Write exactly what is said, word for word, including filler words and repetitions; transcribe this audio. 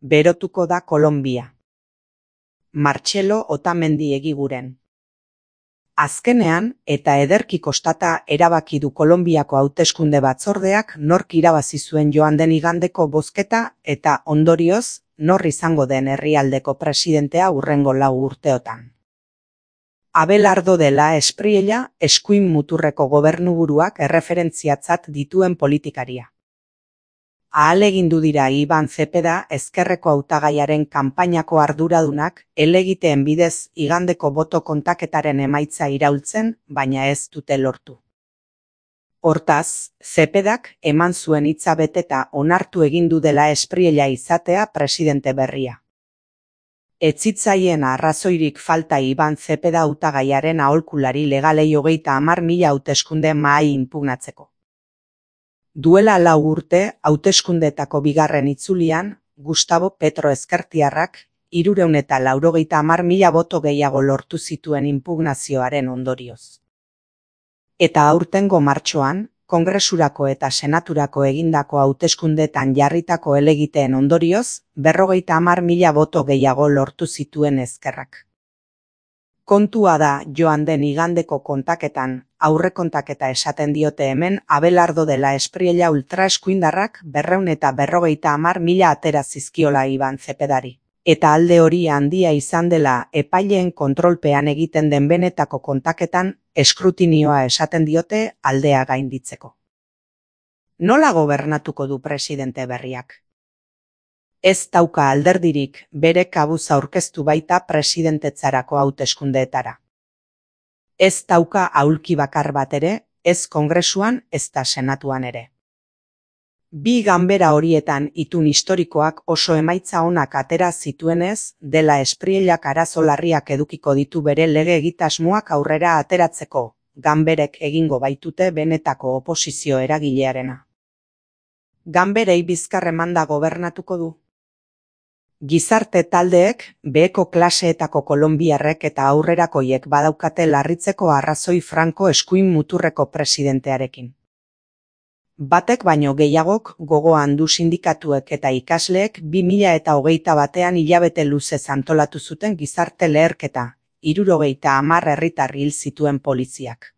berotuko da Kolonbia. Martxelo Otamendi Egiguren. Azkenean, eta ederki kostata erabaki du Kolonbiako hauteskunde batzordeak nork irabazi zuen joan den igandeko bozketa eta ondorioz, nor izango den herrialdeko presidentea hurrengo lau urteotan. Abelardo de la Espriella, eskuin muturreko gobernuburuak erreferentziatzat dituen politikaria. Ahalegindu dira Iban Zepeda ezkerreko hautagaiaren kanpainako arduradunak helegiteen bidez igandeko boto kontaketaren emaitza iraultzen, baina ez dute lortu. Hortaz, Zepedak eman zuen hitza beteta onartu egin du dela Espriella izatea presidente berria. Ez zitzaien arrazoirik falta Iban Zepeda hautagaiaren aholkulari legalei hogeita hamar mila hauteskunde mahai inpugnatzeko. Duela lau urte, hauteskundetako bigarren itzulian, Gustavo Petro ezkertiarrak, hirurehun eta laurogeita hamar mila boto gehiago lortu zituen inpugnazioaren ondorioz. Eta aurtengo martxoan, Kongresurako eta Senaturako egindako hauteskundetan jarritako helegiteen ondorioz, berrogeita hamar mila boto gehiago lortu zituen ezkerrak. Kontua da joan den igandeko kontaketan, aurrekontaketa esaten diote hemen Abelardo de la Espriella ultraeskuindarrak berrehun eta berrogeita hamar mila atera zizkiola Iban Zepedari. Eta alde hori handia izan dela epaileen kontrolpean egiten den benetako kontaketan eskrutinioa esaten diote aldea gainditzeko. Nola gobernatuko du presidente berriak? Ez dauka alderdirik bere kabuz aurkeztu baita presidentetzarako hauteskundeetara. Ez dauka aulki bakar bat ere, ez Kongresuan ezta Senatuan ere. Bi ganbera horietan itun historikoak oso emaitza onak atera zituenez, de la Espriellak arazo larriak edukiko ditu bere lege egitasmoak aurrera ateratzeko, ganberek egingo baitute benetako oposizio eragilearena. Ganberei bizkar emanda gobernatuko du. Gizarte taldeek, beheko klaseetako kolonbiarrek eta aurrerakoiek badaukate larritzeko arrazoi Franco eskuin muturreko presidentearekin. Batek baino gehiagok gogoan du sindikatuek eta ikasleek bi mila eta hogeita batean hilabete luzez antolatu zuten gizarte leherketa, hirurogeita hamar herritar hil zituen poliziak.